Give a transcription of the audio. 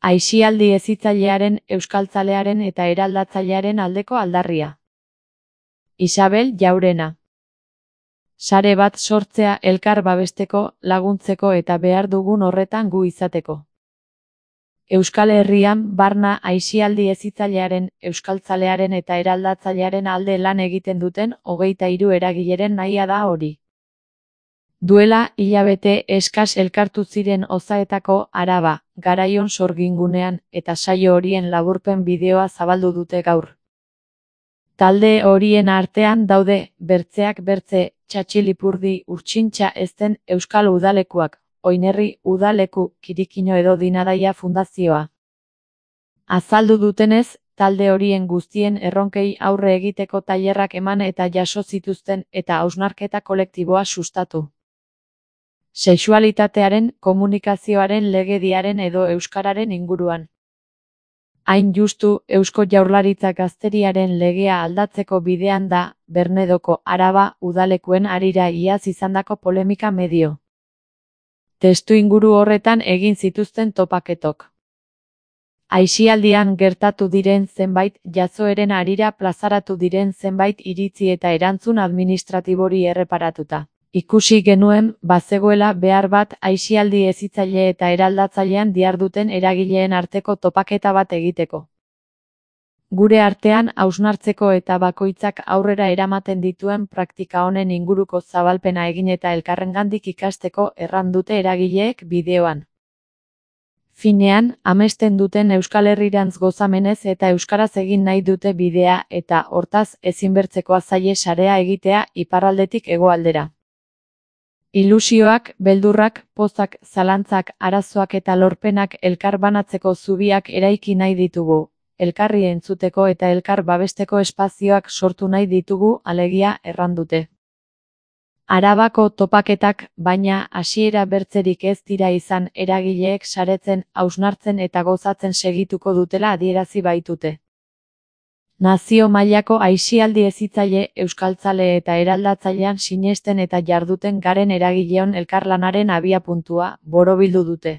Aisialdi hezitzailearen, euskaltzalearen eta eraldatzailearen aldeko aldarria. Isabel Jaurena. Sare bat sortzea elkar babesteko, laguntzeko eta behar dugun horretan gu izateko. Euskal Herrian barna aisialdi hezitzailearen, euskaltzalearen eta eraldatzailearen alde lan egiten duten 23 eragileren nahia da hori. Duela hilabete eskas elkartu ziren Ozaetako Araba, Garaion sorgingunean, eta saio horien laburpen bideoa zabaldu dute gaur. Talde horien artean daude, bertzeak bertze, Txatxilipurdi Urtsintxa ezten Euskal Udalekuak, Oinerri Udaleku, Kirikino edo Dinadaia Fundazioa. Azaldu dutenez, talde horien guztien erronkei aurre egiteko tailerrak eman eta jaso zituzten eta hausnarketa kolektiboa sustatu. Sexualitatearen, komunikazioaren legediaren edo euskararen inguruan. Hain justu, Eusko Jaurlaritza Gazteriaren legea aldatzeko bidean da, Bernedoko Araba udalekuen harira iaz izandako polemika medio. Testuinguru horretan egin zituzten topaketok. Aisialdian gertatu diren zenbait jazoeren harira plazaratu diren zenbait iritzi eta erantzun administratibori erreparatuta. Ikusi genuen, bazegoela behar bat aisialdi hezitzaile eta eraldatzailean diharduten eragileen arteko topaketa bat egiteko. Gure artean hausnartzeko eta bakoitzak aurrera eramaten dituen praktika honen inguruko zabalpena egin eta elkarrengandik ikasteko erran dute eragileek bideoan. Finean, amesten duten Euskal Herrirantz gozamenez eta euskaraz egin nahi dute bidea eta, hortaz, ezinbertzekoa zaie sarea egitea iparraldetik hegoaldera. Ilusioak, beldurrak, pozak, zalantzak, arazoak eta lorpenak elkar banatzeko zubiak eraiki nahi ditugu, elkarri entzuteko eta elkar babesteko espazioak sortu nahi ditugu, alegia erran dute. Arabako topaketak, baina, hasiera bertzerik ez dira izan eragileek saretzen, hausnartzen eta gozatzen segituko dutela adierazi baitute. Nazio mailako aisialdi hezitzaile, euskaltzale eta eraldatzailean sinesten eta jarduten garen eragileon elkarlanaren abiapuntua borobildu dute.